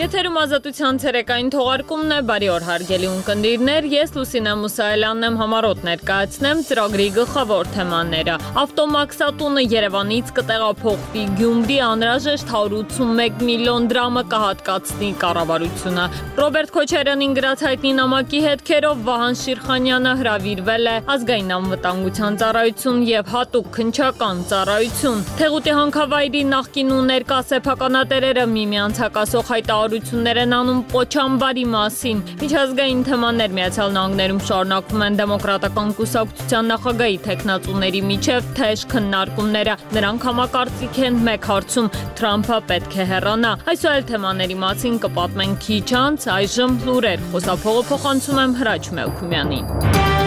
Եթերում ազատության ցերեկային թողարկումն է, բարի օր հարգելի ունկնդիրներ, ես Լուսինե Մուսայելյանն եմ, համառոտ ներկայացնեմ ծրագրի գլխավոր թեմաները։ Ավտոմաքսատունը Երևանից կտեղափոխվի Գյումրի, անհրաժեշտ 181 միլիոն դրամը կհատկացնի կառավարությունը։ Ռոբերտ Քոչարյանին գրած հայտնի նամակի հետքերով Վահան Շիրխանյանը հրավիրվել է Ազգային անվտանգության ծառայություն եւ հատուկ քննչական ծառայություն։ Թեղուտի հանքավայրի նախկին ու ներկա սեփականատերերը միմյանց հակասող հայտարարություններ են անում Պոչամբարի մասին։ Միջազգային թեմաներ Միացյալ Նահանգներում շարունակվում են դեմոկրատական կուսակցության նախագահի թեկնածուների միջև թեժ քննարկումները։ Նրանք համակարծիք են մեկ հարցում՝ Թրամփը պետք է հեռանա։ Այս այլ թեմաների մասին կպատմենք քիչ անց, այժմ լուրեր։ Խոսափողը փոխանցում եմ Հրաչ Մելքումյանին։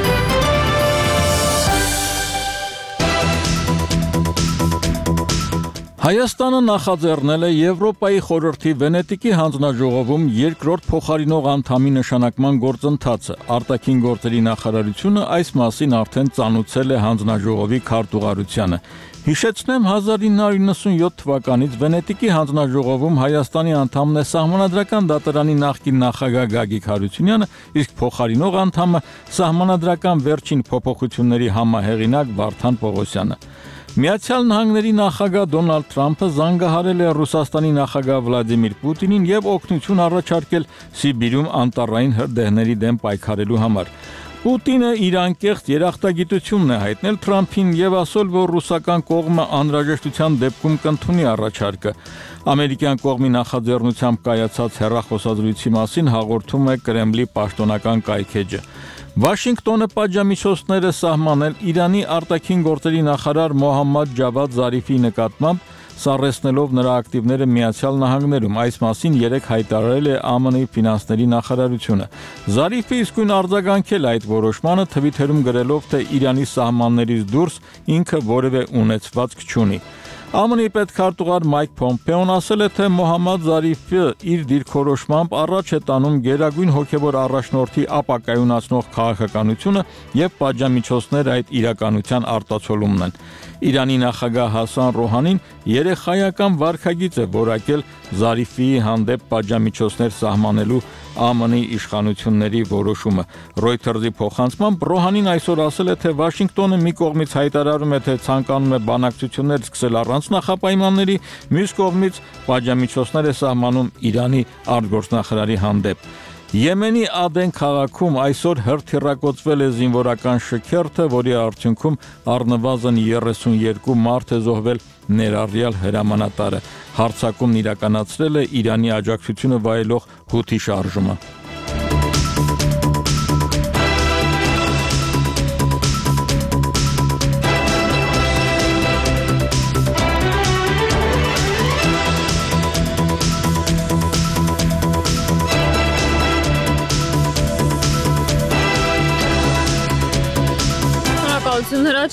Հայաստանը նախաձեռնել է Եվրոպայի խորհրդի Վենետիկի հանձնաժողովում երկրորդ փոխարինող անդամի նշանակման գործընթացը։ Արտաքին գործերի նախարարությունը այս մասին արդեն ծանուցել է հանձնաժողովի քարտուղարությանը։ Հիշեցնեմ, 1997 թվականից Վենետիկի հանձնաժողովում Հայաստանի անդամն է Սահմանադրական դատարանի նախկին նախագահ Գագիկ Հարությունյանը, իսկ փոխարինող անդամը Սահմանադրական վերջին փոփոխությունների համահեղինակ Վարդան Պողոսյանը։ Միացյալ Նահանգների նախագահ Դոնալդ Թրամփը զանգահարել է Ռուսաստանի նախագահ Վլադիմիր Պուտինին եւ օգնություն առաջարկել Սիբիրում անտառային հրդեհների դեմ պայքարելու համար։ Պուտինը իր անկեղծ երախտագիտությունն է հայտնել Թրամփին եւ ասել, որ ռուսական կողմը անհրաժեշտության դեպքում կընդունի առաջարկը։ Ամերիկյան կողմի նախաձեռնությամբ կայացած հեռախոսազրույցի մասին հաղորդում է Կրեմլի պաշտոնական կայքէջը։ Վաշինգտոնը պատժամիջոցներ է սահմանել Իրանի արտաքին գործերի նախարար Մոհամմադ Ջավադ Զարիֆի նկատմամբ, սառեցնելով նրա ակտիվները Միացյալ Նահանգներում։ Այս մասին երեկ հայտարարել է ԱՄՆ-ի ֆինանսների նախարարությունը։ Զարիֆը իսկույն արձագանքել այդ որոշմանը, թվիթերում գրելով, թե Իրանի սահմաններից դուրս ինքը որևէ ունեցվածք չունի։ ԱՄՆ-ի պետքարտուղար Մայք Փոմպեոն ասել է, թե Մոհամմադ Զարիֆը իր դիրքորոշմամբ առաջ է տանում գերագույն հոգևոր առաջնորդի ապակայունացնող քաղաքականությունը եւ պատժամիջոցներ այդ իրականության արտացոլումն են։ Իրանի նախագահ Հասան Ռոհանին երեխայական վարքագիծ է որակել Զարիֆի հանդեպ պատժամիջոցներ սահմանելու ԱՄՆ-ի իշխանությունների որոշումը։ Reuters-ի փոխանցմամբ Ռոհանին այսօր ասել է, թե Վաշինգտոնը մի կողմից հայտարարում է, թե ցանկանում է բանակցություններ սկսել առանց նախապայմանների, մյուս կողմից պատժամիջոցներ է սահմանում Իրանի արտգործնախարարի հանդեպ։ Եմենի Ադեն քաղաքում այսօր հրթիռակոծվել է զինվորական շքերթը, որի արդյունքում առնվազն 32 մարդ է զոհվել, ներառյալ հրամանատարը։ Հարձակումն իրականացրել է Իրանի աջակցությունը վայելող Հութի շարժումը։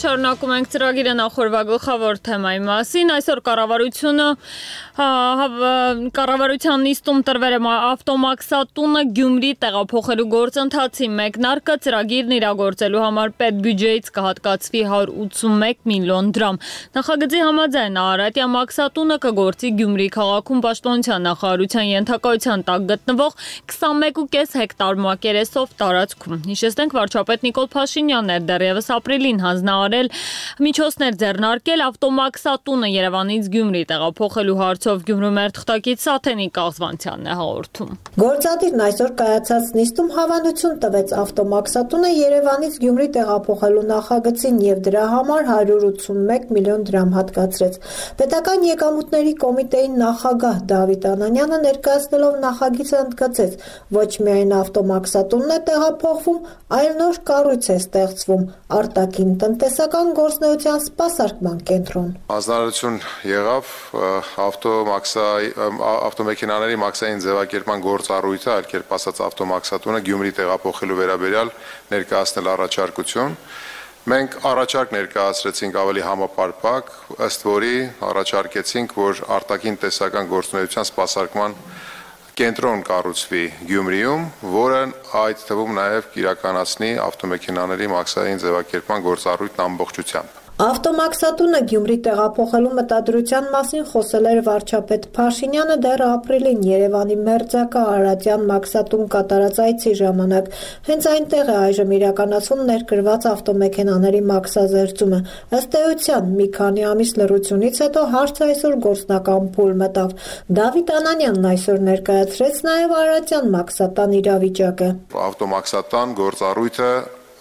Շարունակում ենք ծրագիրը նախորդ գլխավոր թեմայի մասին։ Այսօր կառավարության նիստում տրվել է ավտոմաքսատունը Գյումրի տեղափոխելու գործընթացի մեկնարկը, ծրագիրն իրագործելու համար պետբյուջեից կհատկացվի 181 միլիոն դրամ։ Նախագծի համաձայն Արարատյա մաքսատունը կգործի Գյումրի քաղաքում պաշտպանության նախարարության ենթակայության տակ գտնվող 21.5 հեկտար մակերեսով տարածքում։ Հիշեցնենք, վարչապետ Նիկոլ Փաշինյանն էր դեռևս ապրիլին հանձնարարել միջոցներ ձեռնարկել ավտոմաքսատունը Երևանից Գյումրի տեղափոխելու հարցով։ Գյումրու մեր թղթակից Սաթենիկ Աղզվանցյանն է հաղորդում։ Գործադիրն այսօր կայացած նիստում հավանություն տվեց ավտոմաքսատունը Երևանից Գյումրի տեղափոխելու նախագծին եւ դրա համար 181 միլիոն դրամ հատկացրեց։ Պետական եկամուտների կոմիտեի նախագահ Դավիթ Անանյանը ներկայացնելով նախագիծը ընդգծեց, ոչ միայն ավտոմաքսատունն է տեղափոխվում, այլ նոր կառույց է ստեղծվում արտաքին տնտեսական գործունեության սպասարկման կենտրոն։ Հանձնարարություն եղավ ավտոմեքենաների մաքսային ձևակերպման գործառույթը, այլ կերպ ասած ավտոմաքսատունը Գյումրի տեղափոխելու վերաբերյալ ներկայացնել առաջարկություն։ Մենք առաջարկ ներկայացրեցինք ավելի համապարփակ, ըստ որի առաջարկեցինք, որ արտաքին տնտեսական գործունեության սպասարկման կենտրոն կառուցվի Գյումրիում, որը այդ թվում նաև կիրականացնի ավտոմեքենաների մաքսային ձևակերպման գործառույթն ամբողջությամբ։ Ավտոմաքսատունը Գյումրի տեղափոխելու մտադրության մասին խոսել էր վարչապետ Փաշինյանը դեռ ապրիլին Երևանի մերձակա Արարատյան մաքսատուն կատարած այցի ժամանակ։ Հենց այնտեղ է այժմ իրականացվում ներկրված ավտոմեքենաների մաքսազերծումը։ Ըստ էության, մի քանի ամիս լռությունից հետո հարցը այսօր գործնական փուլ մտավ։ Դավիթ Անանյանն այսօր ներկայացրեց նաև Արարատյան մաքսատան իրավիճակը։ Ավտոմաքսատան գործառույթը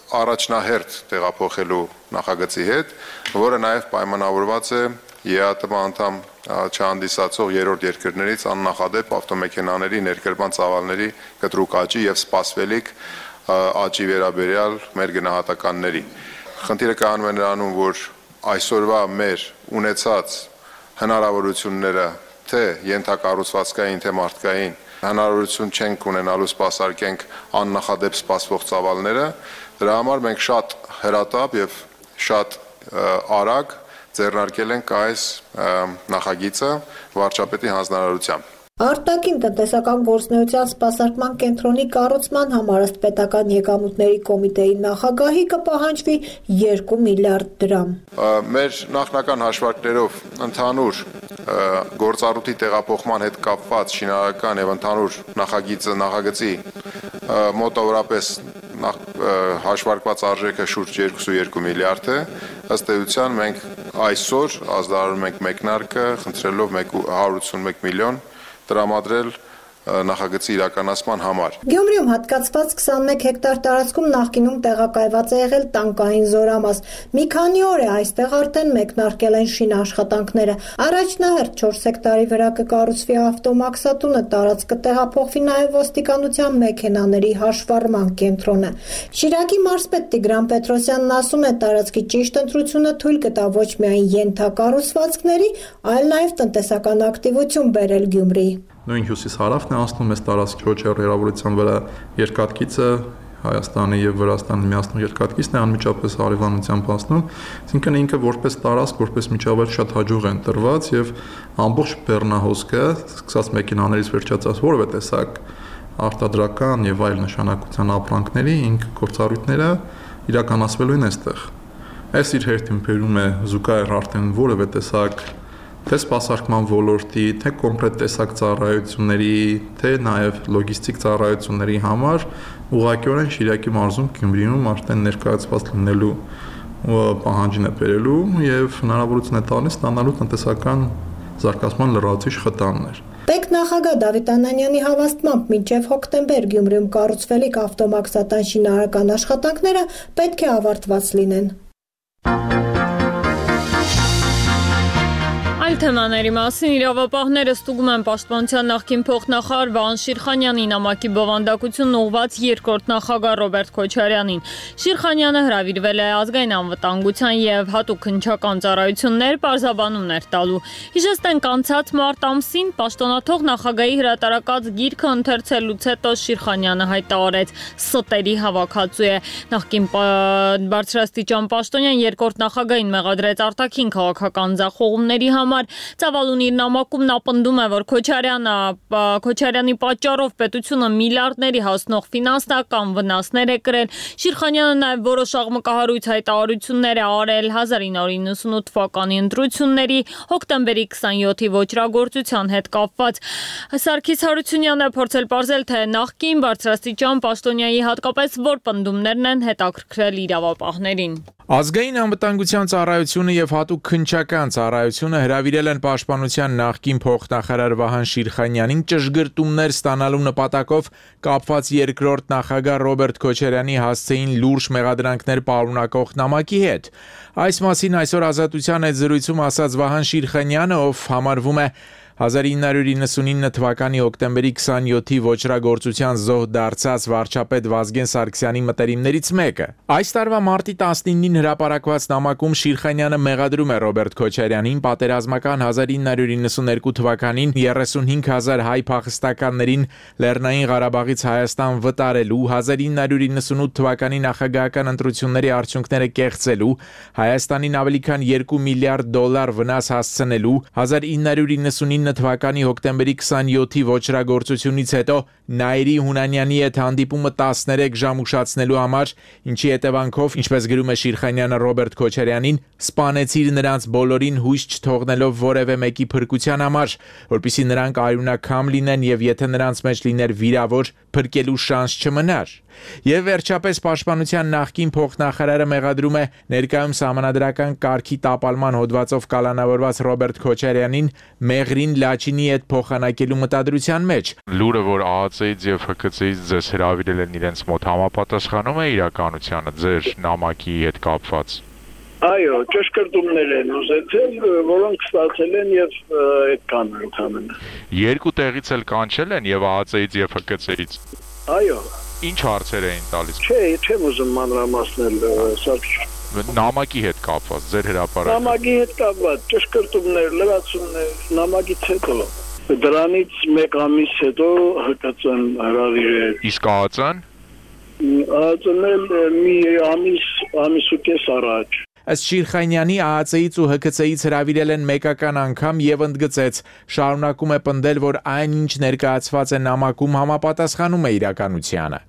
առաջնահերթ տեղափոխելու նախագծի հետ, որը նաև պայմանավորված է ԵԱՏՄ անդամ չհանդիսացող երրորդ երկրներից աննախադեպ ավտոմեքենաների ներկրման ծավալների կտրուկ աճի եւ սպասվելիք աճի վերաբերյալ մեր գնահատականների։ Խնդիրը կայանում է նրանում, որ այսօրվա մեր ունեցած հնարավորությունները թե ենթակառուցվածքային, թե մարդկային հնարավորություն չենք ունենալու սպասարկենք աննախադեպ սպասվող ծավալները, դրա համար մենք շատ հրատապ եւ շատ արագ ձեռնարկել ենք այս նախագիծը վարչապետի հանձնարարությամբ։ Արտաքին տնտեսական գործունեության սպասարկման կենտրոնի կառուցման համար ըստ պետական եկամուտների կոմիտեի նախագահի կպահանջվի 2 միլիարդ դրամ։ Մեր նախնական հաշվարկներով ընդհանուր գործառույթի տեղափոխման հետ կապված շինարարական եւ ընդհանուր նախագծի մոտավորապես հաշվարկված արժեքը շուրջ 2.2 միլիարդ է։ Ըստ էության մենք այսօր ազդարարում ենք մեկնարկը, խնդրելով 181 միլիոն տրամադրել նախագծի իրականացման համար։ Գյումրիում հատկացված 21 հեկտար տարածքում նախկինում տեղակայված է եղել տանկային զորամաս։ Մի քանի օր է այստեղ արդեն մեկնարկել են շինաշխատանքները։ Առաջնահերթ 4 հեկտարի վրա կկառուցվի ավտոմաքսատունը, տարածքը կտեղափոխվի նաև ոստիկանության մեքենաների հաշվառման կենտրոնը։ Շիրակի մարզպետ Տիգրան Պետրոսյանն ասում է, տարածքի ճիշտ ընտրությունը թույլ կտա ոչ միայն ենթակառուցվածքների, այլ նաև տնտեսական ակտիվություն բերել Գյումրի։ Նույն հյուսիս-հարավն է անցնում այս տարածքի ոչեր հեռավորության վրա երկաթգիծը Հայաստանի եւ Վրաստանի միացնող երկաթգիծն է անմիջապես հարևանությամբ անցնում, այսինքն ինքը որպես տարածք, որպես միջավայր շատ հաջող է ընտրված եւ ամբողջ բեռնահոսքը, սկսած մեքենաներից վերջացած որևէ տեսակ արտադրական եւ այլ նշանակության ապրանքների ինք գործառույթները իրականացվելու են այստեղ։ Այս իր հերթին բերում է զուգահեռ արդեն որևէ տեսակ թե սպասարկման ոլորտի, թե կոնկրետ տեսակ ծառայությունների, թե նաև լոգիստիկ ծառայությունների համար ուղղակիորեն Շիրակի մարզում Գյումրիում արդեն ներկայացված լինելու պահանջին է բերելու եւ հնարավորություն է տալիս ստանալու տնտեսական զարգացման լրացուցիչ խթաններ։ Պետ նախագահ Դավիթ Անանյանի հավաստմամբ մինչև հոկտեմբեր Գյումրիում կառուցվելիք ավտոմաքսատան շինարարական աշխատանքները պետք է ավարտված լինեն։ Այլ թեմաների մասին իրավապահները ստուգում են պաշտպանության նախկին փոխնախարար Վահան Շիրխանյանի նամակի բովանդակությունն ուղղված երկրորդ նախագահ Ռոբերտ Քոչարյանին։ Շիրխանյանը հրավիրվել է ազգային անվտանգության եւ հատուկ քննչական ծառայություններ պարզաբանումներ տալու։ Հիշեցնենք, անցած մարտ ամսին պաշտոնաթող նախագահի հրատարակած գիրքը ընթերցելուց հետո Շիրխանյանը հայտարարեց ստերի հավաքածու է։ Նախկին բարձրաստիճան պաշտոնյան երկրորդ նախագահին մեղադրեց արտաքին քաղաքական ձախողումների համար։ Ծավալուն իր նամակում նա պնդում է, որ Քոչարյանի պատճառով պետությունը միլիարդների հասնող ֆինանսական վնասներ է կրել։ Շիրխանյանը նաև որոշ աղմկահարույց հայտարարություններ է արել 1998 թվականի ընտրությունների հոկտեմբերի 27-ի ոճրագործության հետ կապված։ Սարգիս Հարությունյանն է փորձել պարզել, թե նախկին բարձրաստիճան պաշտոնյայի հատկապես որ պնդումներն են հետաքրքրել իրավապահներին։ Ազգային անվտանգության ծառայությունը եւ հատուկ քննչական ծառայությունը հրավիրել են պաշտպանության նախկին փոխնախարար Վահան Շիրխանյանին ճշգրտումներ ստանալու նպատակով կապված երկրորդ նախագահ Ռոբերտ Քոչարյանի հասցեին լուրջ մեղադրանքներ պարունակող նամակի հետ։ Այս մասին այսօր Ազատության հետ զրույցում ասաց Վահան Շիրխանյանը, ով համարվում է 1999 թվականի հոկտեմբերի 27-ի ոճրագործության զոհ դարձած վարչապետ Վազգեն Սարգսյանի մտերիմներից մեկը։ Այս տարվա մարտի 19-ին հրապարակված նամակում Շիրխանյանը մեղադրում է Ռոբերտ Քոչարյանին պատերազմական 1992 թվականին 35,000 հայ փախստականներին Լեռնային Ղարաբաղից Հայաստան վտարելու, 1998 թվականի նախագահական ընտրությունների արդյունքները կեղծելու, Հայաստանին ավելի քան $2 միլիարդ վնաս հասցնելու, 1999 2019 թվականի հոկտեմբերի 27-ի ոչրագործությունից հետո Նաիրի Հունանյանի հետ հանդիպումը 13 ժամ ուշացնելու համար, ինչի հետևանքով, ինչպես գրում է Շիրխանյանը Ռոբերտ Քոչարյանին, սպանեցիր նրանց բոլորին հույս չթողնելով որևէ մեկի փրկության համար, որպեսզի նրանք արյունակամ լինեն եւ եթե նրանց մեջ լիներ վիրավոր, փրկելու շանս չմնար։ Եվ վերջապես Պաշտպանության նախկին փոխնախարարը մեղադրում է ներկայում սահմանադրական կարգի տապալման հոդվածով կալանավորված Ռոբերտ Քոչարյանին Մեղրին Լաչինի հետ փոխանակելու մտադրության մեջ։ Լուրը, որ ԱԱՑ-ից եւ ՀԿՑ-ից ձեզ հրավիրել են իրենց մոտ, համապատասխանում է իրականությանը ձեր նամակի հետ կապված։ Այո, ճշգրտումներ են ուզեցել, որոնք ստացել են եւ այդքան ընդհանրապես։ Երկու տեղից էլ կանչել են եւ ԱԱՑ-ից եւ ՀԿՑ-ից։ Այո։ Ինչ հարցեր էին տալիս։ Չէ, չեմ ուզում մանրամասնել, Սարգիս։ Նամակի հետ կապված, ձեր հրապարակը։ Նամակի հետ կապված, ճշգրտումներ, լրացումներ, նամակից հետո։ Դրանից մեկ ամիս հետո ՀԿՑ-ն հրավիրել։ Իսկ ԱԱՑ-ն։ ԱԱՑ-ն մի ամիս ու կես առաջ։ Ըստ Շիրխանյանի ԱԱՑ-ից ու ՀԿՑ-ից հրավիրել են մեկական անգամ եւ ընդգծեց, շարունակում է պնդել, որ այն ինչ ներկայացված է նամակում համապատասխանում է իրականությանը։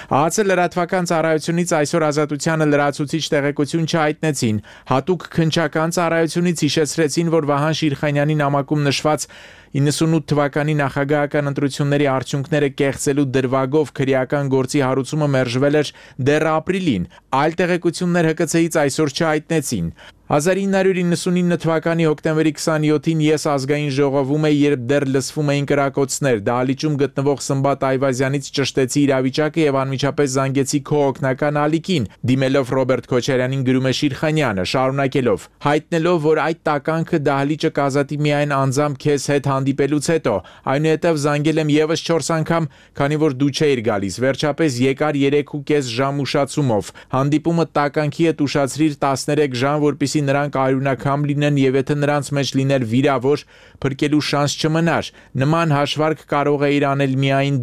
ԱԱՑ լրատվական ծառայությունից այսօր Ազատությանը լրացուցիչ տեղեկություն չհայտնեցին, հատուկ քննչական ծառայությունից հիշեցրեցին, որ Վահան Շիրխանյանի նամակում նշված 98 թվականի նախագահական ընտրությունների արդյունքները կեղծելու դրվագով քրեական գործի հարուցումը մերժվել էր դեռ ապրիլին, այլ տեղեկություններ ՀԿՑ-ից այսօր չհայտնեցին։ 1999 թվականի հոկտեմբերի 27-ին ես ազգային ժողովում էի, երբ դեռ լսվում էին կրակոցներ, դահլիճում գտնվող Սմբատ Այվազյանից ճշտեցի իրավիճակը եւ անմիջապես զանգեցի քո օգնական ալիքին, դիմելով Ռոբերտ Քոչարյանին գրում է Շիրխանյանը, շարունակելով. հայտնելով, որ այդ տականքը դահլիճը կազատի միայն անձամբ քեզ հետ հանդիպելուց հետո, այնուհետև զանգել եմ եւս 4 անգամ, քանի որ դու չէիր գալիս, վերջապես եկար 3.5 ժամ ուշացումով, հանդիպումը տականքի հետ ուշացրիր 13 ժամ, որպեսզի նրանք արյունակամ լինեն եւ եթե նրանց մեջ լիներ վիրավոր, փրկելու շանս չմնար։ Նման հաշվարկ կարող էիր անել միայն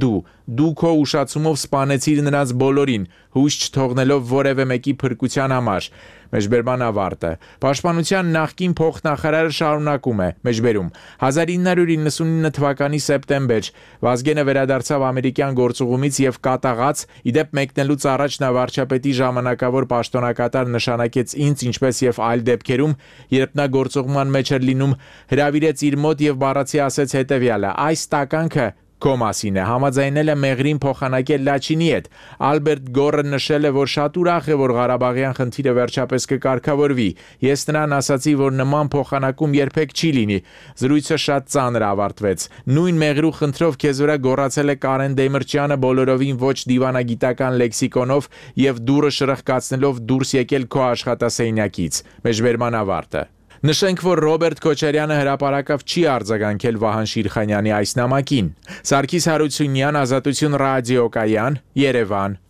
դու քո ուշացումով սպանեցիր նրանց բոլորին, հույս չթողնելով որևէ մեկի փրկության համար։ Մեջբերման ավարտը։ Պաշտպանության նախկին փոխնախարարը շարունակում է, մեջբերում 1999 թվականի սեպտեմբեր Վազգենը վերադարձավ ամերիկյան գործուղումից եւ կատաղած, իդեպ մեկնելուց առաջ նա վարչապետի ժամանակավոր պաշտոնակատար նշանակեց ինձ, ինչպես եւ այլ դեպքերում, երբ նա գործուղման մեջ էր լինում, հրավիրեց իր մոտ եւ բառացի ասեց հետեւյալը. այս տականքը քո մասին է, համաձայնել է Մեղրին փոխանակել Լաչինի հետ։ Ալբերտ Գորը նշել է, որ շատ ուրախ է, որ Ղարաբաղյան խնդիրը վերջապես կկարգավորվի։ Ես նրան ասացի, որ նման փոխանակում երբեք չի լինի։ Զրույցը շատ ծանր ավարտվեց։ Նույն Մեղրու խնդրով քեզ վրա գոռացել է Կարեն Դեմիրճյանը բոլորովին ոչ դիվանագիտական լեքսիկոնով եւ դուրը շրխկացնելով դուրս եկել քո աշխատասենյակից։ Մեջբերման ավարտը։ Նշենք, որ Ռոբերտ Քոչարյանը հրապարակավ չի արձագանքել Վահան Շիրխանյանի այս նամակին։ Սարգիս Հարությունյան, Ազատություն ռադիոկայան, Երևան։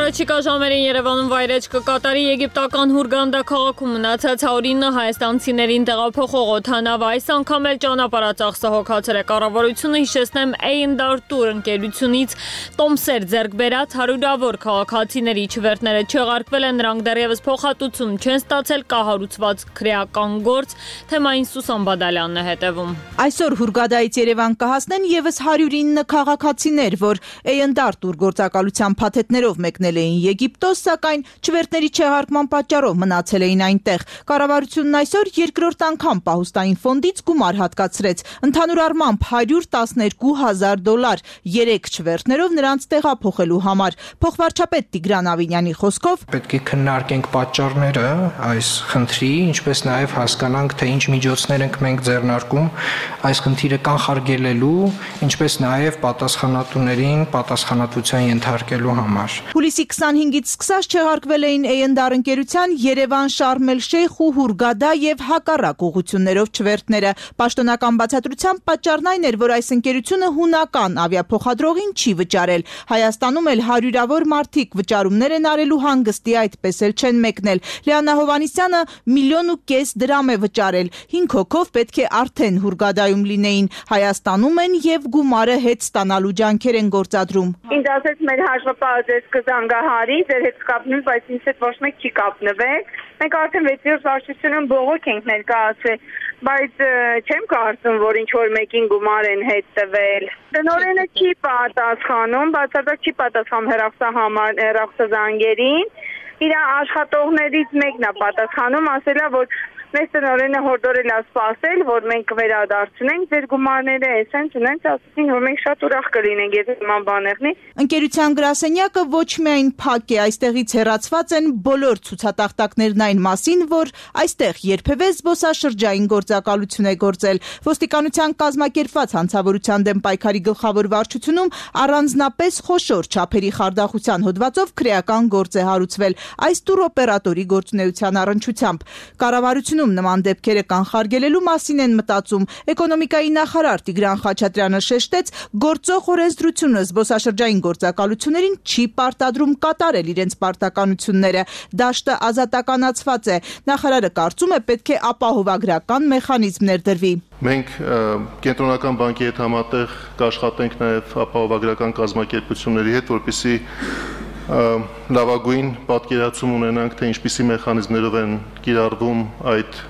Առաջիկա ժամերին Երևանում վայրէջք կկատարի եգիպտական Հուրգանդա քաղաքում մնացած 109 հայաստանցիներին տեղափոխող օդանավը, այս անգամ էլ ճանապարհածախսը հոգացել է կառավարությունը, հիշեցնեմ A&R Tour ընկերությունից տոմսեր ձեռք բերած հարյուրավոր քաղաքացիների չվերթները չեղարկվել են, նրանք դեռևս փոխհատուցում չեն ստացել, կա հարուցված քրեական գործ, թեմային Սուսան Բադալյանն է հետևում։ Այսօր Հուրգադայից Երևան կհասնեն եւս 109 քաղաքացիներ, որ A&R Tour գործակալության փաթեթներով մեկնել էին Եգիպտոս, սակայն չվերթների չեղարկման պատճառով մնացել էին այնտեղ։ Կառավարությունն այսօր երկրորդ անգամ պահուստային ֆոնդից գումար հատկացրեց, ընդհանուր առմամբ $112,000 3 չվերթներով նրանց տեղափոխելու համար։ Փոխվարչապետ Տիգրան Ավինյանի խոսքով պետք է քննարկենք պատճառները այս խնդրի, ինչպես նաև հասկանանք, թե ինչ միջոցներ ենք մենք ձեռնարկում այս խնդիրը կանխարգելելու, ինչպես նաև պատասխանատուներին պատասխանատվության ենթարկելու համար։ Հուլիսի 25-ից սկսած չեղարկվել էին A&R ընկերության Երևան, Շարմ էլ-Շեյխ ու Հուրգադա եւ հակառակ ուղղություններով չվերթները։ Պաշտոնական բացատրության պատճառն այն էր, որ այս ընկերությունը հունական ավիափոխադրողին չի վճարել։ Հայաստանում էլ հարյուրավոր մարդիկ վճարումներ են արելու հանգստի, այդպես էլ չեն մեկնել։ Լիանա Հովհաննիսյանը $1.5 դրամ է վճարել։ 5 հոգով պետք է արդեն Հուրգադայում լինեին։ Հայաստանում են եւ գումարը հետ ստանալու ջանքեր են գործադրում։ Ինձ ասեց մեր հաշվապահը ձեզ կզանգա Սիրահարի, ձեր հետ կապնում, բայց ինձ հետ ոչ մեկ չի կապնվել։ Մենք արդեն 6-րդ վարչությունում բողոք ենք ներկայացրել, բայց չեմ կարծում, որ ինչ-որ մեկին գումար են հետ տվել։ Տնօրենը չի պատասխանում, բացարձակ չի պատասխանում հեռախոսազանգերին։ Իր աշխատողներից մեկն է պատասխանում, ասել է, որ մեզ տնօրենը հորդորել է սպասել, որ մենք վերադարձնենք ձեր գումարները, էսենց ունենք, ասեցին, որ մենք շատ ուրախ կլինենք, եթե նման բաներ լինի։ Ընկերության գրասենյակը ոչ միայն փակ է, այստեղից հեռացված են բոլոր ցուցատախտակներն այն մասին, որ այստեղ երբևէ զբոսաշրջային գործակալություն է գործել։ Ոստիկանության կազմակերպված հանցավորության դեմ պայքարի գլխավոր վարչությունում առանձնապես խոշոր չափերի խարդախության հոդվածով քրեական գործ է հարուցվել այս տուրօպերատորի գործունեության առնչությամբ։ Կառավարությունում նման դեպքերը կանխարգելելու մասին են մտածում։ Էկոնոմիկայի նախարար Տիգրան Խաչատրյանը շեշտեց, գործող օրենսդրությունը զբոսաշրջային գործակալություններին չի պարտադրում կատարել իրենց պարտականությունները։ Դաշտը ազատականացված է։ Նախարարը կարծում է, պետք է ապահովագրական մեխանիզմ ներդրվի։ Մենք կենտրոնական բանկի հետ համատեղ կաշխատենք նաև ապահովագրական կազմակերպությունների հետ, որպեսզի լավագույն պատկերացում ունենանք, թե ինչպիսի մեխանիզմներով են կիրառվում այդ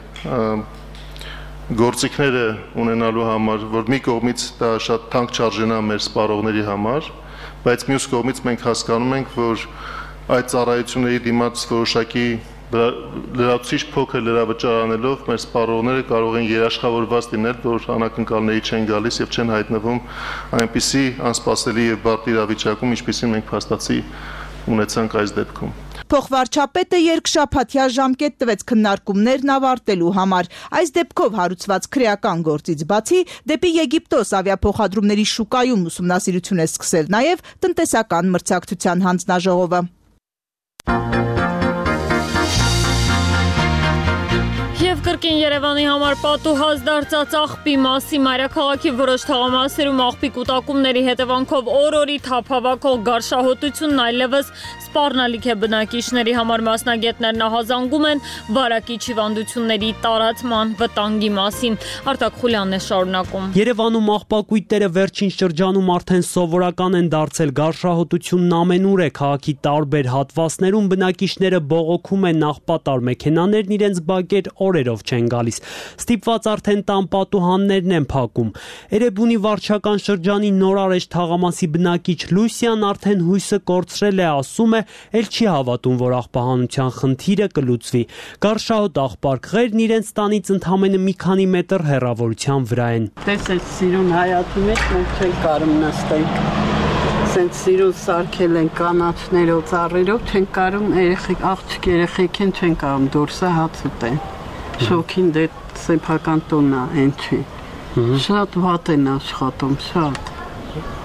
գործիքները ունենալու համար, որ մի կողմից դա շատ թանկ չարժենա մեր սպառողների համար, բայց մյուս կողմից մենք հասկանում ենք, որ այդ ծառայությունների դիմաց որոշակի լրացուցիչ փոքր լրավճար անելով մեր սպառողները կարող են երաշխավորված լինել, որ անակնկալների չեն գալիս եւ չեն հայտնվում այնպիսի անսպասելի եւ բարդ իրավիճակում, ինչպիսին մենք փաստացի ունեցանք այս դեպքում։ Փոխվարչապետը երկշաբաթյա ժամկետ տվեց քննարկումներն ավարտելու համար։ Այս դեպքով հարուցված քրեական գործից բացի դեպի Եգիպտոս ավիափոխադրումների շուկայում ուսումնասիրություն է սկսել նաև տնտեսական մրցակցության հանձնաժողովը։ Եվ կրկին Երևանի համար պատուհաս դարձած աղբի մասի մայրաքաղաքի որոշ թաղամասերում աղբի կուտակումների հետևանքով օր-օրի թափավակող գարշահոտությունն այլևս սպառնալիք է բնակիչների համար։ Մասնագետներն ահազանգում են վարակիչ հիվանդությունների տարածման վտանգի մասին։ Արտակ Խուլյանն է շարունակում։ Երևանում աղբակույտերը վերջին շրջանում արդեն սովորական են դարձել։ Գարշահոտությունն ամենուր է, քաղաքի տարբեր հատվածներում բնակիչները բողոքում են, աղբատար մեքենաներն իրենց բակեր օրերով չեն գալիս։ Ստիպված արդեն տան պատուհաններն են փակում։ Էրեբունի վարչական շրջանի նորարեշ թաղամասի բնակիչ Լուսյան արդեն հույսը կորցրել է, ասում է, էլ չի հավատում, որ աղբահանության խնդիրը կլուծվի։ Գարշահոտ աղբարկղերն իրենց տանից ընդամենը մի քանի մետր հեռավորության վրա են։ Տեսեք, սիրուն հայացի մեջ մենք չենք կարում նստենք։ Սենց սիրուն սարքել են կանաչներով, ծառերով, չենք կարում աղջիկ երեխեք են չեն կարում դուրսը հաց ուտեն։ Շոքին դե սեփական տոնն է, այն չի։ Շատ վատ են աշխատում, շատ։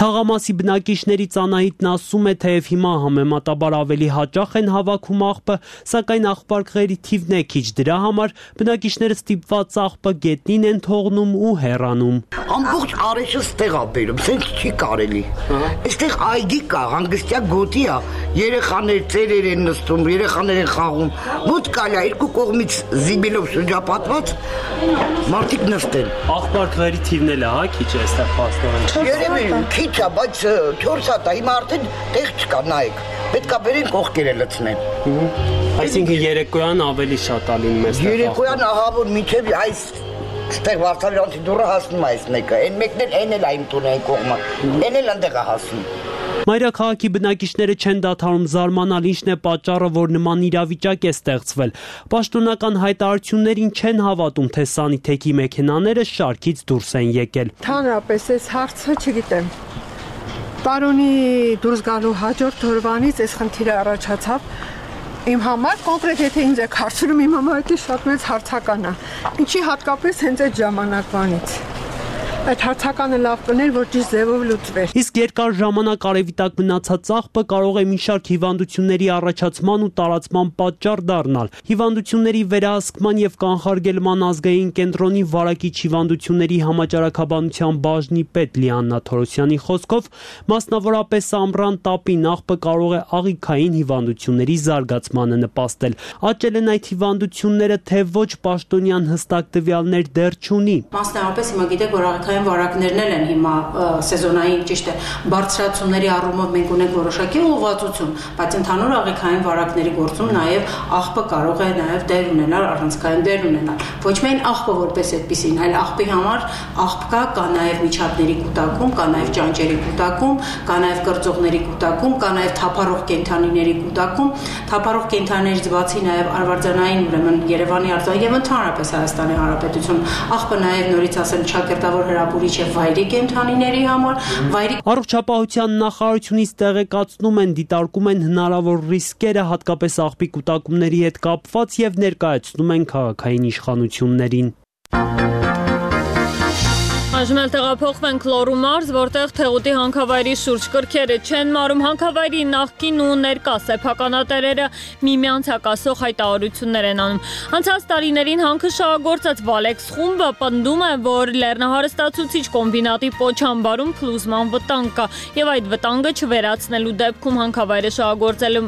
Թաղամասի բնակիչներից Անահիտն ասում է, թեև հիմա համեմատաբար ավելի հաճախ են հավաքում աղբը, սակայն աղբարկղերի թիվն է քիչ, դրա համար բնակիչները ստիպված աղբը գետնին են թողնում ու հեռանում։ Ամբողջ արեշը ստեղ է բերում, սենց չի կարելի։ Այստեղ այգի կա, հանգստյա գոտի է, երեխաներ ծերեր են նստում, երեխաներ են խաղում, մոտ կալա երկու կողմից զիբիլով շրջապատված մարդիկ նստեն։ Աղբարկղերի թիվն էլ է, հա, քիչ է այստեղ փաստորեն։ Քիչ է, բայց 4 հատ է, հիմա արդեն տեղ չկա, նայեք, պետք է բերեն կողքերը լցնեն։ Այսինքն երեկոյան ավելի շատ է լինում այստեղ։ Երեկոյան ահա որ մինչև այս ստեղ Վարդանյանցի դուռը հասնում է այս մեկը, այն մեկն էլ այն էլ այն տունը այն կողմը, այն էլ այնտեղ է հասնում։ Մայրաքաղաքի բնակիչները չեն դադարում զարմանալ, ինչն է պատճառը, որ նման իրավիճակ է ստեղծվել։ Պաշտոնական հայտարարություններին չեն հավատում, թե սանիթեքի մեքենաները շարքից դուրս են եկել։ Հանրապես այս հարցը չգիտեմ։ Պարոնի դուրս գալու հաջորդ օրվանից այս խնդիրը առաջացավ։ Իմ համար կոնկրետ եթե ինձ եք հարցնում, իմ համար դա շատ մեծ հարցական է։ Ինչի հատկապես հենց այդ ժամանակվանից։ Այդ հարցականը լավ կներ, որ ճիշտ ձևով լուծվեր։ Իսկ երկար ժամանակ արևիտակ մնացած աղբը կարող է մի շարք հիվանդությունների առաջացման ու տարածման պատճառ դառնալ։ Հիվանդությունների վերահսկման եւ կանխարգելման ազգային կենտրոնի վարակիչ հիվանդությունների համաճարակաբանության բաժնի պետ Լիաննա Թորոսյանի խոսքով, մասնավորապես ամռան տապին աղբը կարող է աղիքային հիվանդությունների զարգացմանը նպաստել։ Աճել են այդ հիվանդությունները, թե ոչ պաշտոնյան հստակ տվյալներ դեռ չունի։ Մասնավորապես հիմա գիտեք, որ աղիքային աղիքային վարակներն են հիմա սեզոնային, ճիշտ է, բարձրացումների առումով մենք ունենք որոշակի ուղղվածություն, բայց ընդհանուր աղիքային վարակների գործում նաև աղբը կարող է նաև դեր ունենալ, առանցքային դեր ունենալ։ Ոչ միայն աղբը որպես այդպեսին, այլ աղբի համար աղբ կա նաև միջատների կուտակում, կա նաև ճանճերի կուտակում, կա նաև կրծողների կուտակում, կա նաև թափառող կենդանիների կուտակում, թափառող կենդանիներից բացի նաև արվարձանային, ուրեմն Երևանի արձան եւ ընդհանրապես Հայաստանի Հանրապետություն աղբը նաև նորից ասեմ ճակերտավոր հրապուրիչ է վայրի կենդանիների համար, վայրի Առողջապահության նախարարությունից տեղեկացնում են, դիտարկում են հնարավոր ռիսկերը հատկապես աղբի կուտակումների հետ կապված եւ ներկայացնում են քաղաքային իշխանություններին։ Այժմ տեղափոխվենք Լոռու մարզ, որտեղ Թեղուտի հանքավայրի շուրջ կրքերը չեն մարում, հանքավայրի նախկին ու ներկա սեփականատերերը միմյանց հակասող հայտարարություններ են անում։ Անցած տարիներին հանքը շահագործած Վալեքս խումբը պնդում է, որ լեռնահարստացուցիչ կոմբինատի պոչամբարում փլուզման վտանգ կա եւ այդ վտանգը չվերացնելու դեպքում հանքավայրը շահագործելու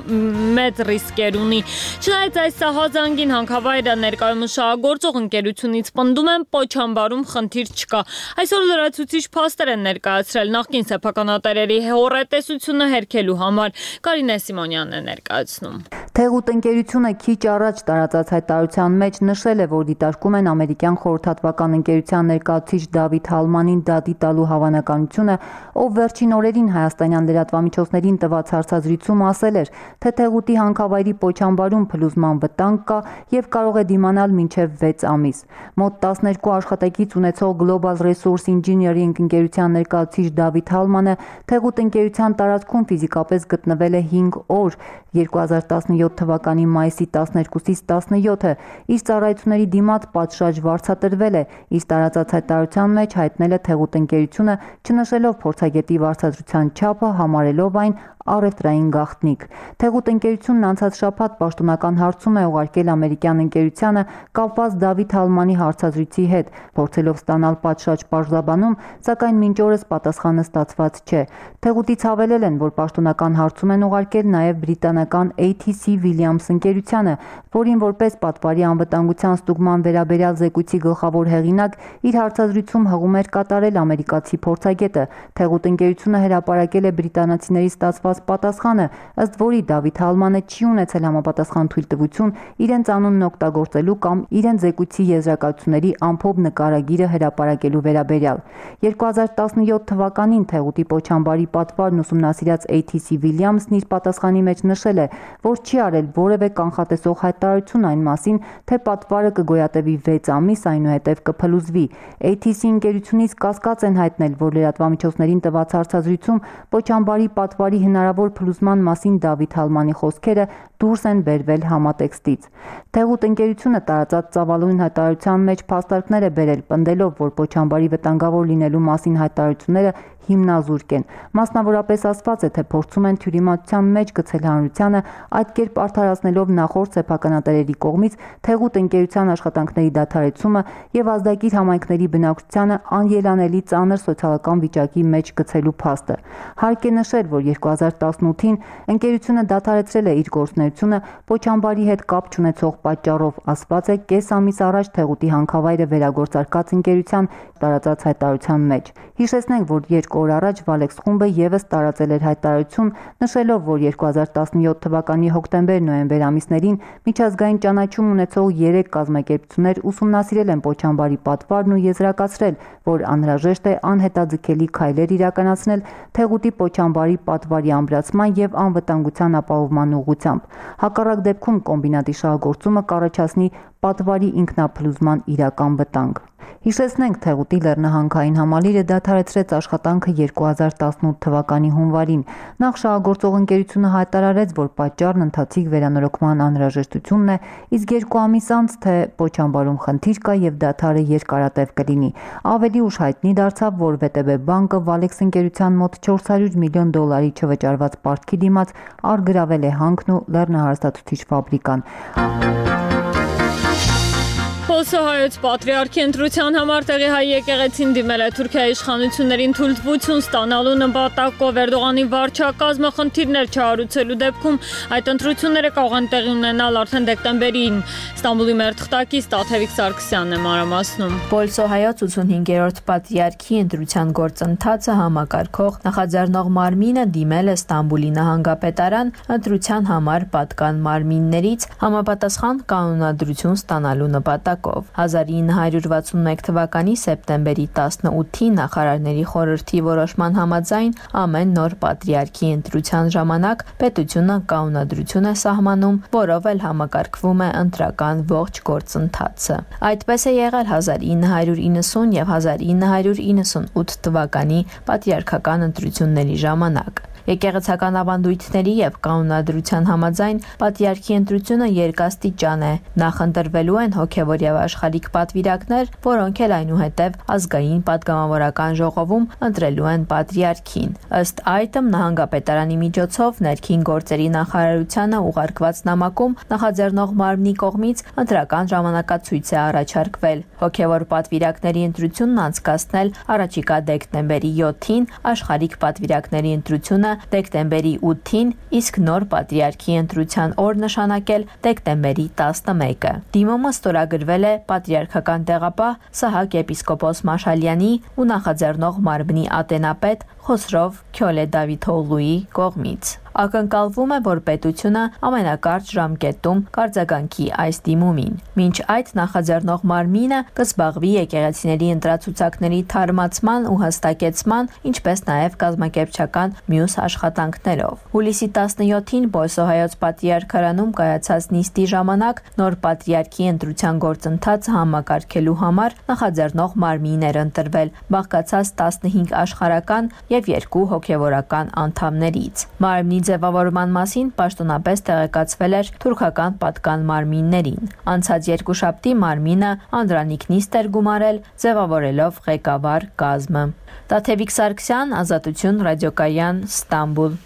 մեծ ռիսկեր ունի։ Չնայած այս սահազանգին հանքավայրը ներկայումս շահագործող ընկերությունից պնդում են պոչամբարում խնդիր չկա։ Այսօր լրացուցիչ փաստեր են ներկայացրել նախկին սեփականատերերի հեռատեսությունը հերքելու համար։ Կարինե Սիմոնյանն է ներկայացնում։ Թեղուտ ընկերությունը քիչ առաջ տարածած հայտարարության մեջ նշել է, որ դիտարկում են ամերիկյան խորհրդատվական ընկերության ներկայացուցիչ Դավիթ Հալմանին դատի տալու հավանականությունը, ով վերջին օրերին հայաստանյան լրատվամիջոցներին տված հարցազրույցում ասել էր, թե Թեղուտի հանքավայրի պոչամբարում փլուզման վտանգ կա եւ կարող է դիմանալ մինչեւ 6 ամիս։ Մոտ 12 աշխատակից ունեցող Global Resource Engineering ընկերության ներկայացուցիչ Դավիթ Հալմանը Թեղուտ ընկերության տարածքում ֆիզիկապես գտնվել է 5 օր 2017 թվականի մայիսի 12-ից 17-ը իր ծառայությունների դիմաց պատշաճ վարձատրվել է, իսկ տարածած հայտարարության մեջ հայտնել է Թեղուտ ընկերությունը, չնշելով փորձագետի վարձատրության չափը, համարելով այն առևտրային գաղտնիք։ Թեղուտ ընկերությունն անցած շաբաթ պաշտոնական հարցում է ուղարկել ամերիկյան ընկերությանը կապված Դավիթ Հալմանի հարցազրույցի հետ, փորձելով ստանալ պատշաճ պարզաբանում, սակայն մինչ օրս պատասխանը ստացված չէ։ Թեղուտից հավելել են, որ պաշտոնական հարցում են ուղարկել նաև բրիտանական ATC Williams ընկերությանը, որին որպես պատվարի անվտանգության ստուգման վերաբերյալ զեկույցի գլխավոր հեղինակ իր հարցազրույցում հղում էր կատարել ամերիկացի փորձագետը։ Թեղուտ ընկերությունը հրապարակել է բրիտանացիների ստացված պատասխանը, ըստ որի Դավիթ Հալմանը չի ունեցել համապատասխան թույլտվություն իրենց անունն օգտագործելու կամ իրենց զեկույցի եզրակացությունների ամփոփ նկարագիրը հրապարակելու վերաբերյալ։ 2017 թվականին Թեղուտի պոչամբարի պատվարն ուսումնասիրած ATC Williams-ն իր պատասխանի մեջ նշել է, որ չի արել որևէ կանխատեսող հայտարարություն այն մասին, թե պատվարը կգոյատևի 6 ամիս, այնուհետև կփլուզվի։ ATC ընկերությունից կասկած են հայտնել, որ լրատվամիջոցներին տված հարցազրույցում պոչամբարի պատվարի հնարավոր փլուզման մասին Դավիթ Հալմանի խոսքերը դուրս են բերվել համատեքստից։ Թեղուտ ընկերությունը տարածած ծավալուն հայտարարության մեջ փաստարկներ է բերել, պնդելով, որ պոչամբարի վտանգավոր լինելու մասին հայտարարությունները հիմնազուրկ են։ Մասնավորապես ասված է, թե փորձում են թյուրիմացության մեջ գցել հանրությանը, այդ կերպ արդարացնելով նախորդ սեփականատերերի կողմից Թեղուտ ընկերության աշխատանքների դադարեցումը եւ ազդագիր համայնքների բնակչությանը անելանելի ծանր սոցիալական վիճակի մեջ գցելու փաստը։ Հարկ է նշել, որ 2018-ին ընկերությունը դադարեցրել է իր գործունեությունը պոչամբարի հետ կապ չունեցող պատճառով, ասված է կես ամիս առաջ Թեղուտի հանքավայրը վերագործարկած ընկերության տարածած հայտարարության մեջ։ Հիշեցնենք, որ 2 օր առաջ Վալեքս խումբը եւս տարածել էր հայտարարություն, նշելով, որ 2017 թվականի հոկտեմբեր-նոյեմբեր ամիսներին միջազգային ճանաչում ունեցող 3 կազմակերպություններ ուսումնասիրել են պոչամբարի պատվարն ու եզրակացրել, որ անհրաժեշտ է անհետաձգելի քայլեր իրականացնել Թեղուտի պոչամբարի պատվարի ամրացման եւ անվտանգության ապահովման ուղղությամբ։ Հակառակ դեպքում կոմբինատի շահագործումը կառաջացնի պատվարի ինքնափլուզման իրական վտանգ։ Հիշեցնենք, Թեղուտի լեռնահանքային համալիրը դադարեցրեց աշխատանքը 2018 թվականի հունվարին։ Նախ շահագործող ընկերությունը հայտարարեց, որ պատճառն ընթացիկ վերանորոգման անհրաժեշտությունն է, իսկ 2 ամիս անց, թե պոչամբարում խնդիր կա եւ դադարը երկարատև կլինի։ Ավելի ուշ հայտնի դարձավ, որ ՎՏԲ բանկը Վալեքս ընկերության մոտ $400 միլիոն չվճարված պարտքի դիմաց առգրավել է հանքն ու լեռնահարստացուցիչ ֆաբրիկան։ Պոլսոհայոց պատրիարքի ընտրության համար տեղի հայ եկեղեցին դիմել է Թուրքիայի իշխանություններին թույլտվություն ստանալու նպատակով Էրդողանի վարչակազմը խնդիրներ չհարուցելու դեպքում այդ ընտրությունները կարող են տեղի ունենալ արդեն դեկտեմբերին։ Ստամբուլի մեր թղթակից Տաթևիկ Սարգսյանն է մանրամասնում։ Պոլսոհայոց 85-րդ պատրիարքի ընտրության գործընթացը համակարգող նախաձեռնող մարմինը դիմել է Ստամբուլի նահանգապետարան ընտրության համար պատկան մարմիններից համապատասխան կանոնադրություն ստանալու նպատակով։ 1961 թվականի սեպտեմբերի 18-ին նախարարների խորհրդի որոշման համաձայն ամեն նոր պատրիարքի ընտրության ժամանակ պետությունը կանոնադրություն է սահմանում, որով էլ համակարգվում է ընտրական ողջ գործընթացը։ Այդպես է եղել 1990 եւ 1998 թվականի պատրիարքական ընտրությունների ժամանակ։ Եկեղեցական ավանդույթների եւ կանոնադրության համաձայն պատրիարքի ընտրությունը երկաստիճան է։ Նախ ընտրվելու են հոգեվոր եւ աշխարհիկ պատվիրակներ, որոնք էլ այնուհետև ազգային падգամավորական ժողովում ընտրելու են պատրիարքին։ Ըստ այդմ նահանգապետարանի միջոցով ներքին գործերի նախարարությանը ուղարկված նամակում նախաձեռնող մարմնի կողմից ընտրական ժամանակացույց է առաջարկվել։ Հոգեվոր պատվիրակների ընտրությունն անցկացնել առաջիկա դեկտեմբերի 7-ին, աշխարհիկ պատվիրակների ընտրությունը դեկտեմբերի 8-ին, իսկ նոր պատրիարքի ընտրության օր նշանակել դեկտեմբերի 11-ը։ Դիմումը ստորագրվել է պատրիարքական տեղապահ Սահակ եպիսկոպոս Մաշալյանի ու նախաձեռնող մարմնի ատենապետ Խոսրով Քյոլե Դավիթօղլուի կողմից։ Ակնկալվում է, որ պետությունը ամենակարճ ժամկետում կարձագանքի այս դիմումին։ Մինչ այդ նախաձեռնող մարմինը կզբաղվի եկեղեցիների ընտրացուցակների թարմացման ու հստակեցման, ինչպես նաև կազմակերպչական մյուս աշխատանքներով։ Հուլիսի 17-ին Պոլսոհայոց պատրիարքարանում կայացած նիստի ժամանակ նոր պատրիարքի ընտրության գործընթացը համակարգելու համար նախաձեռնող մարմին էր ընտրվել, բաղկացած 15 աշխարհական եւ 2 հոգեվորական անդամներից։ Մարմնի ձևավորման մասին պաշտոնապես տեղեկացվել էր թուրքական պատկան մարմիններին։ Անցած երկուշաբթի մարմինը անդրանիկ նիստ էր գումարել, ձևավորելով ղեկավար կազմը։ Տաթևիկ Սարգսյան, Ազատություն, ռադիոկայան, Ստամբուլ։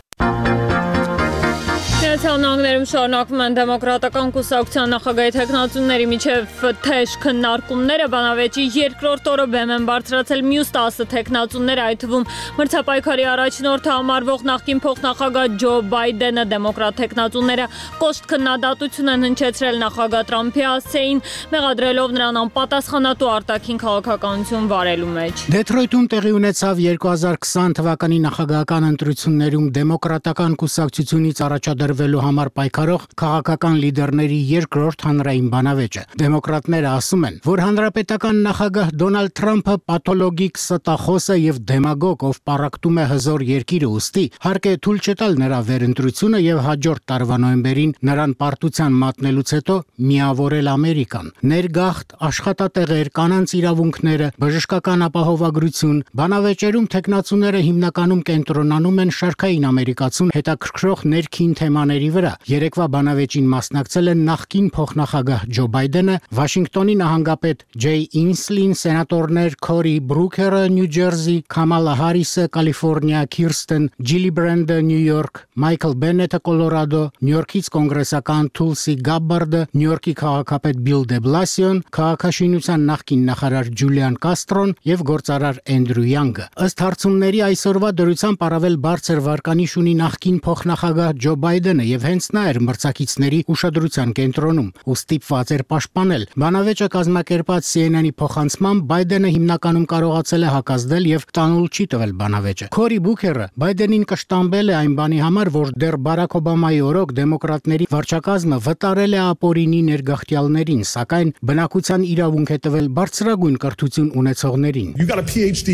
Միացյալ Նահանգներում շարունակվում են դեմոկրատական կուսակցության նախագահի թեկնածուների միջև թեժ քննարկումները։ Բանավեճի երկրորդ օրը բեմ են բարձրացել մյուս 10 թեկնածուներ, այդ թվում մրցապայքարի առաջնորդը համարվող նախկին փոխնախագահ Ջո Բայդենը։ Դեմոկրատ թեկնածուները կոշտ քննադատություն են հնչեցրել նախագահ Թրամփի հասցեին, մեղադրելով նրան անպատասխանատու արտաքին քաղաքականություն վարելու մեջ։ Դեթրոյթում տեղի ունեցավ 2020 թվականի նախագահական ընտրություններում դեմոկրատական կուսակցությունից առաջադրվելու համար պայքարող քաղաքական լիդերների երկրորդ հանրային բանավեճը։ Դեմոկրատները ասում են, որ հանրապետական նախագահ Դոնալդ Թրամփը պաթոլոգիկ ստախոս է եւ դեմագոգ, ով պառակտում է հզոր երկիրը, ուստի հարկ է թույլ չտալ նրա վերընտրությունը եւ հաջորդ տարվա նոյեմբերին նրան պարտության մատնելուց հետո միավորել Ամերիկան։ Ներգաղթ, աշխատատեղեր, կանանց իրավունքները, բժշկական ապահովագրություն, բանավեճերում թեկնածուները հիմնականում կենտրոնանում են շարքային ամերիկացուն հետաքրքրող ներքին թեմաների վրա։ Երեկվա բանավեճին մասնակցել են նախկին փոխնախագահ Ջո Բայդենը, Վաշինգտոնի նահանգապետ Ջեյ Ինսլին, սենատորներ Քորի Բրուքերը Նյու Ջերսի, Քամալա Հարիսը Կալիֆոռնիա, Քիրստեն Ջիլիբրենդը Նյու Յորք, Մայքլ Բենետը Կոլորադո, Նյու Յորքից կոնգրեսական Թուլսի Գաբբարդը, Նյու Յորքի քաղաքապետ Բիլ դե Բլասիոն, քաղաքաշինության նախկին նախարար Ջուլիան Կաստրոն եւ գործարար Էնդրյու Յանգը։ Ըստ հարցումների այսօրվա դրությամբ առավել բարձր վարկանիշ ունի նախկին փոխնախագահ Ջո Բայդենը եւ հենց նա էր մրցակիցների ուշադրության կենտրոնում ու ստիպված էր պաշտպանել։ Բանավեճը կազմակերպած CNN-ի փոխանցմամբ Բայդենը հիմնականում կարողացել է հակազդել եւ տանուլ չի տվել բանավեճը։ Քորի Բուքերը Բայդենին կշտամբել է այն բանի համար, որ դեռ Բարաք Օբամայի օրոք դեմոկրատների վարչակազմը վտարել է ապօրինի ներգաղթյալներին, սակայն բնակության իրավունք է տվել բարձրագույն կրթություն ունեցողներին։ You got a PhD,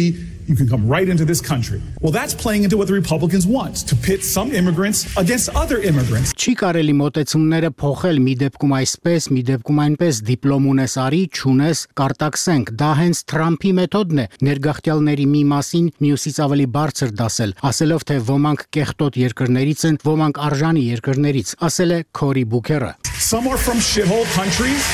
you can come right into this country. Well, that's playing into what the Republicans want, to pit some immigrants against other immigrants. Չի կարելի մոտեցումները փոխել մի դեպքում այսպես, մի դեպքում այնպես, դիպլոմ ունես արի, չունես կարտաքսենք։ Դա հենց Թրամփի մեթոդն է, ներգաղթյալների մի մասին մյուսից ավելի բարձր դասել, ասելով թե ոմանք կեղտոտ երկրներից են, ոմանք արժանի երկրներից, ասել է Քորի Բուքերը։ Some are from shithole countries.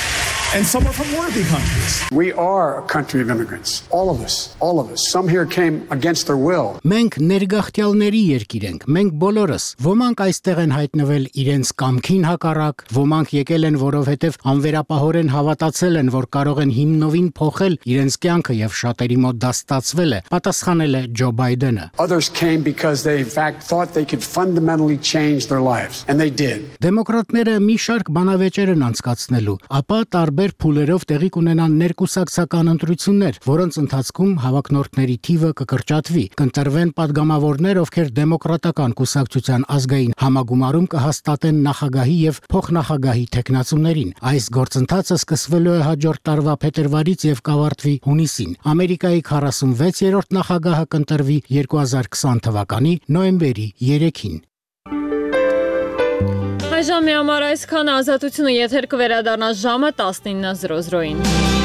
and some are from worthy countries. We are a country of immigrants. All of us. Some here came against their will. Մենք ներգաղթյալների երկիր ենք, մենք բոլորս։ Ոմանք այստեղ են հայտնվել իրենց կամքին հակառակ, ոմանք եկել են, որովհետև անվերապահորեն հավատացել են, որ կարող են հիմնովին փոխել իրենց կյանքը եւ շատերի մոտ դա ստացվել է, պատասխանել է Ջո Բայդենը։ Others came because they in fact thought they could fundamentally change their lives, and they did. Դեմոկրատները մի շարք բանավեճեր են անցկացնելու, ապա տարբեր փուլերով տեղի կունենան ներկուսակցական ընտրություններ, որոնց ընթացքում հավակնորդների թիվը կկրճատվի, կընտրվեն падգամավորներ, ովքեր դեմոկրատական կուսակցության ազգային համագումարում կհաստատեն նախագահի եւ փոխնախագահի թեկնածուներին։ Այս գործընթացը սկսվելու է հաջորդ տարվա փետրվարից եւ կավարտվի հունիսին։ Ամերիկայի 46-րդ նախագահը կընտրվի 2020 թվականի նոյեմբերի 3-ին։ Այժմ համար այսքան, Ազատությունը եթեր կվերադառնա ժամը 19:00-ին։